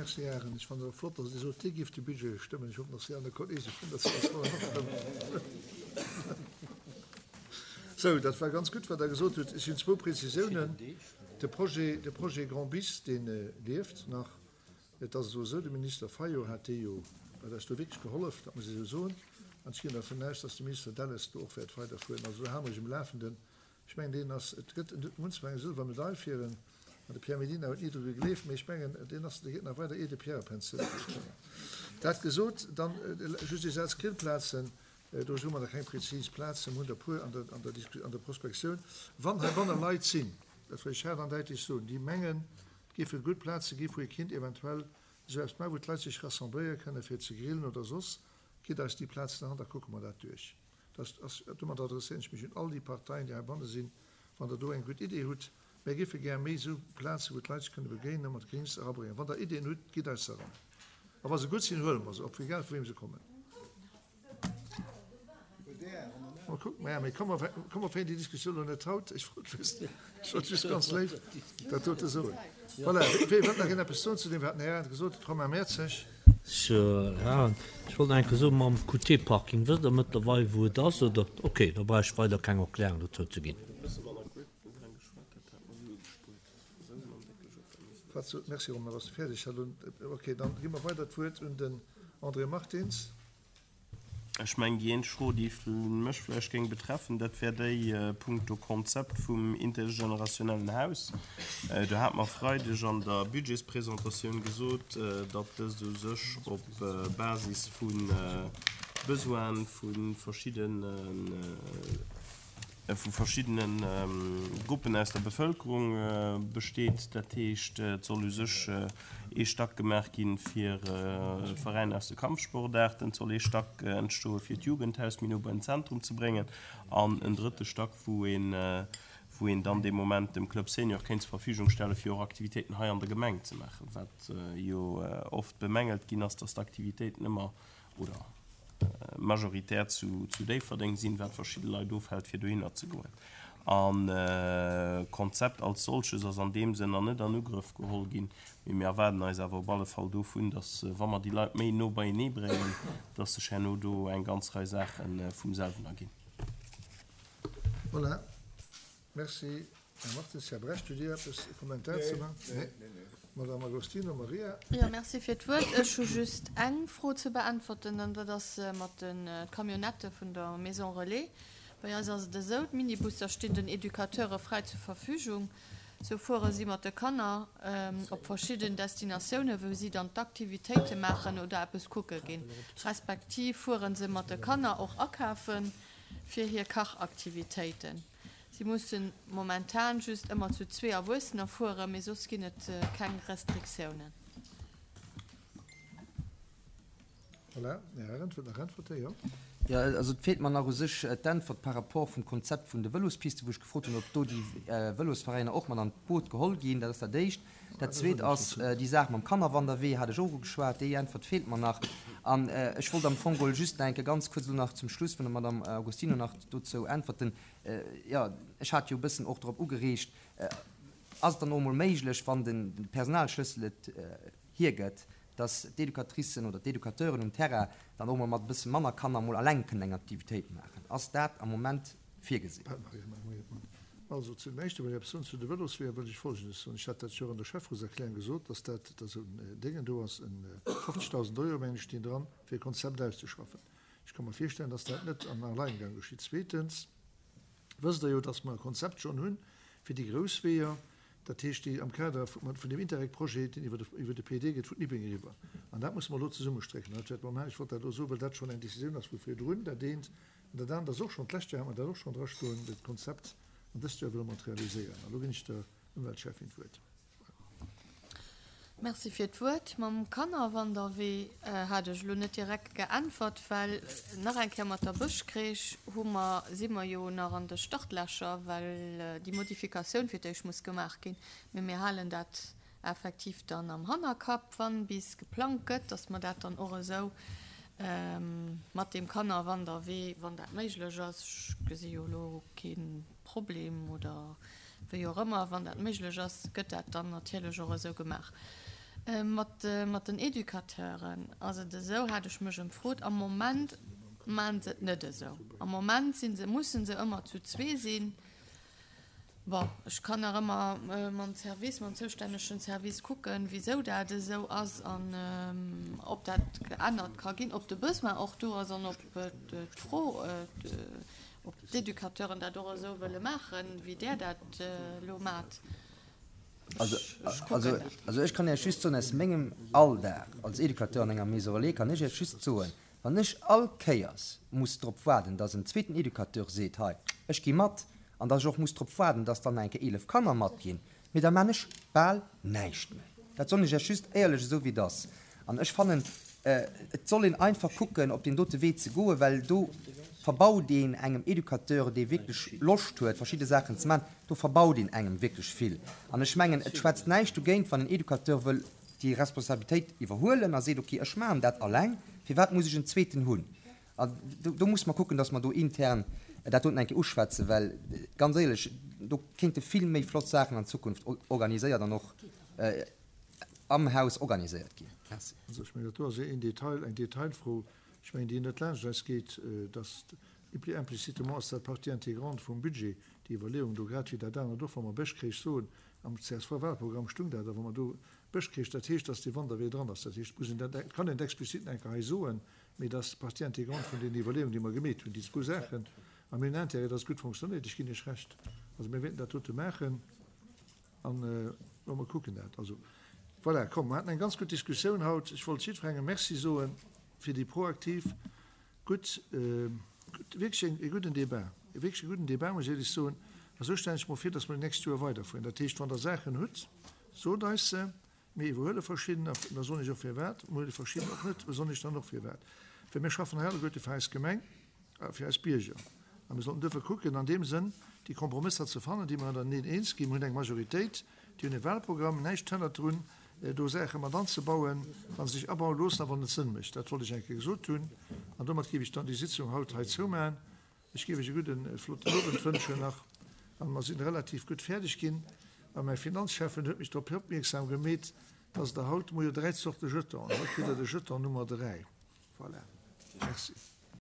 Merci, Här Arendt. Ech fannen et och flott, dass Dir sot, Dir gift de Budget stëmmen. Ech hoffen, dass déi aner Kolleege vun der csv en och stëmmen. Sou, dat war ganz gutt, wat Der gesot hutt. Ech hunn zwou Prezisiounen. De Projet, de Projet Grand Bis, dee lieft nach. Et ass elo esou, de Minister Fayot hat dee jo, huet eis do wierklech gehollef, dat muss ech esou soen. An ech ginn dervun aus, dass de Minister Delles do och wäert weiderfueren. Also do hale mer iech um Lafenden. Ech mengen, deen ass, et gëtt, en huet munch eng sëlwer Medail fir en, an de Pierre Mellina huet ni dru gegleeft, mee ech mengen, deen ass, dee geet nach weider, ier de Pierre a Pensioun geet. Dat gesot, dann just ee Saz, Grillplazen, do hu mer nach keng prezis Plazen, mer hunn der e puer an der, an der Disku, an der Prospektioun. Wann heibanne Leit sinn, dat wëll ech haart an däitlech soen, déi mengen, et géife gutt Plaze gi wou ee kinnt eventuell esou eppes maachen, wou d'Leit sech rassembléiere kënne fir ze grillen oder soss, gitt eis déi Plazen an, da kucke mer dat duerch. Dat ass, domat adresséieren ech mech un all déi Parteien, déi heibanne sinn, wann Der do eng gutt Idee hutt, mär géife gär méi esou Plazen, wou d'Leit sech kënne begéinen, mat Grings erabréngen. Wann Der Ideeën hutt, gitt eis se eran. A wa se gutt sinn, huele mer se op, egal vu weem se kommen. Mol kucken, maja, mee komm, mer, komm, mer féieren déi Diskussioun elo net haut. Ech wollt just, ech wollt just ganz léif dat dote soen. Voilà, wee wëllt nach een eppes soen zu deem, wat den Här Arendt gesot huet? Romain Mertzig. Ech wollt nach eng Kéier soen, mam QT-Parking, wësst Der mëttlerweil, wou et ass, oder? Okay, da brauch ech weider keng Erklärung dozou ze ginn. Merci Romain, bass de fäerdeg? Okay, dann gi mer weider d'Wuert un den André Martins. Ech mengen, déi eenzeg Fro, déi mech vläicht géing betreffen, dat wär déi punkto Konzept vum intergenerationellen Haus. Do hat mer Freideg an der Budgetspresentatioun gesot, datt dëst u sech op Basis vu Besoine vu verschiddene, vu verschiddene Gruppen aus der Bevëlkerung besteet. Dat heescht, et soll u sech ee Stack gemaach gi fir Veräiner aus de Kampfsportaarten, et soll ee Stack entstoe fir d'Jugendhaus méi no bei den Zentrum ze bréngen an en drëtte Stack, wou een, wou een dann dee Moment dem Club Senior kéint zur Verfügung stelle fir och Aktivitéiten hei an der Gemeng ze maachen, wat jo oft bemängelt ginn ass, dass d'Aktivitéiten ëmmer oder majoritär zu Déifferdeng sinn, wat verschidde Leit ofhält fir dohinner ze goen. An d'Konzept als solches ass an deem Sënn nach net an Ugrëff geholl ginn, mee mir erwaarden eis awer op alle Fall dovun, datt wa mer déi Leit méi no beienee bréngen, datt sech herno do eng ganz Rei Saache vum selwen erginn. Voilà. Merci, Här Martins. Här Brecht, hutt Dir eppes, e Kommentar ze maachen? Nee. Madame Agostino Maria. Jo, merci fir d'Wuert. Ech hu just eng Fro ze beäntwerten, an dat ass mat de Camionnettë vun der Maison Relais. Bei eis ass et esou, D'Minibusser stinn den Educateure fräi zur Verfügung. Sou fuere si mat de Kanner op verschidden Destinatiounen, wou si dann d'Aktivitéite maachen oder eppes kucke ginn. Respektiv fuere se mat de Kanner och akafe fir hir Kachaktivitéiten. Si mussen momentan just ëmmer zu zwee Erwuessener fueren, mee soss ginn et keng Restriktiounen. Voilà, Här Arendt wëllt nach äntwerten, jo? Jo, also et feelt mer nach u sech d'Äntwert par rapport vum Konzept vun de Vëlospiste, wou ech gefrot hunn, ob do déi Vëlosveräiner och mat an d'Boot geholl ginn. Dat ass dat Éischt. Dat Zweet ass déi Saach mam Kannerwanderwee, hat ech och ugeschwat. Déi Äntwert feelt mer nach. An ech wollt am Fong geholl just nach eng Kéier ganz kuerz elo nach zum Schluss vun der Madame Agostino nach dozou äntwerten. Jo, ech hat jo e bëssen och drop ugereegt, Ass et dann och emol méiglech, wann de Personalschlëssel et hiergëtt, dass d'Educatricen oder d'Educateuren um Terrain dann och emol mat e bësse manner Kanner emol alleng kënnen eng Aktivitéit maachen? Ass dat am Moment virgesinn? Also zu dem Éischte wëll ech eppes soen. Zu de Vëlosweeër wëll ech Folgendes soen, Ech hat dat jo och an der Schäfferotserklärung gesot, dass dat dass en Déngen do ass, en 50.000 Euro, mengen ech, stinn dran, fir e Konzept auszeschaffen. Ech ka mer virstellen, dass dat net an Alleingang geschitt. Zweetens wësst Der jo, dass mer e Konzept schonn hu fir déi grouss Weeër, dat heescht déi am Kader vun deem Interreg-Projet, deen iwwer de PED geet, vun Nippeng eriwwer. An dat musse mer elo zesummestrécken. An dat wäerte mer maachen. Ech wollt dat elo soen, well dat schonn eng Décisioun ass vu virdrun, dat eent. An dat anert ass och schonn, d'lescht Joer hat mer dat och schonn drastoen, dat Konzept. An dëst Joer wëlle mer et realiséieren. An elo ginn ech der Ëmweltschäffin d'Wuert. Merci fir d'Wuert. Mam Kannerwanderwee hat ech elo net direkt geäntwert, well nach eng Kéier mat der Bëschcrèche hu mer, si mer jo nach an de Startlächer, well déi Modifikatioun fir d'éischt muss gemaach ginn. Mee mir halen dat effektiv dann am Hannerkapp, wann bis geplangt gëtt, dass mer dat dann och esou mat deem Kannerwanderwee, wann dat méiglech ass, ech gesi jo elo kee Problem oder wéi och ëmmer, wann dat méiglech ass, gëtt dat dann natierlech och esou gemaach. Mat den Educateuren ass et esou, hat ech mech emfrot, am Moment maachen se et net esou. Am Moment si se, mussen se ëmmer zu zwee sinn. Bon, ech kann nach ëmmer mam Service, mam zoustännegen Service kucken, wisou dat esou ass an ob dat geännert ka ginn, ob de Besoin och do ass an ob d'Fro, ob d'Educateuren dat och esou wëlle maachen, wéi Der dat elo maacht. Also, also ech kann Iech just soen, aus mengem Alldag als Educateur an enger Maison relais kann ech Iech just soen, wann ech all Kéiers muss drop waarden, dass en zweeten Educateur seet, hei, ech gi mat, an dass ech och muss drop waarden, dass dann nach eng Kéier 11 Kanner matginn, mee da maan ech bal näischt méi. Dat soen ech Iech just éierlech esou wéi et ass. An ech fannen, et soll een einfach kucken, op deen dote Wee ze goen, well do verbaut een engem Educateur, dee wierklech Loscht huet, verschidde Saachen ze maachen, do verbaut een engem wierklech vill. An ech mengen, et schwätzt näischt dogéint, wann en Educateur wëll déi Responsabilitéit iwwerhuelen a seet, okay, ech maachen dat alleng, firwat muss ech en zweeten hunn? An do musse mer kucken, dass mer do intern dat doten eng Kéier uschwätzen, well ganz éierlech, do kéinte vill méi flott Saachen an Zukunft organiséiert an och am Haus organiséiert ginn. Merci. Also ech mengen, dat do ass een Detail, eng Detailfro, ech mengen, déi net laanscht eis geet, dass implicitement ass dat Partie intégrante vum Budget, déi Iwwerleeung do, grad wéi dat anert och, wa mer Bëschkreech soen, am CSV-Wahlprogramm stung dat, a wa mer do Bëschkreech, dat heescht, dass dee Wanderwee dran ass, dat heescht, muss een dat, kann een et explizit nach eng Kéier hei soen, mee dat ass Partie intégrante vun deenen Iwwerleeungen, déi mer gemeet hunn, déi zwou Saachen. A mir hunn Intérêt, dass et gutt fonctionnéiert. Ech ginn Iech Recht. Also mir wäerten dat dote maachen an mer kucken dat. Also voilà, komm, mer haten eng ganz gutt Diskussioun haut. Ech wollt jiddwerengem Merci soe fir déi proaktiv, gutt, gutt, wierklech e gudden Débat, e wierklech e gudden Débat, muss ech éierlech soen. A sou stellen ech mer vir, dass mer déi nächst Joer weiderfueren. Dat heescht, wann Der Saachen hutt, sot eis se. Mir iwwerhuele verschidden, an da soen ech och firwat, mir huele verschidden och net, da soen ech dann och firwat. Well mir schaffen hei alleguerte fir eis Gemeng a fir eis Bierger. A mir sollten duerfir kucken, an deem Sënn déi Kompromësser ze fannen, déi mer ënnereneen eens ginn. Mir hunn eng Majoritéit, déi hunn e Wahlprogramm, näischt hënnert drun, do Saache mat anzebauen, wa se sech abaue loossen a wann et Sënn mécht. Dat wollt ech eng Kéier gesot hunn. An domat géif ech dann déi Sitzung haut hei zoumaachen. Ech géif iech e gudden, e flotten Owend wënschen nach. An mer sinn relativ gutt fäerdeg ginn. A mäi Finanzschäffen huet mech drop opmierksam gemeet, dass Der haut, mer hu jo 3 Zorte Jetonen, haut kritt Der de Jeton Nummer 3. Voilà. Merci.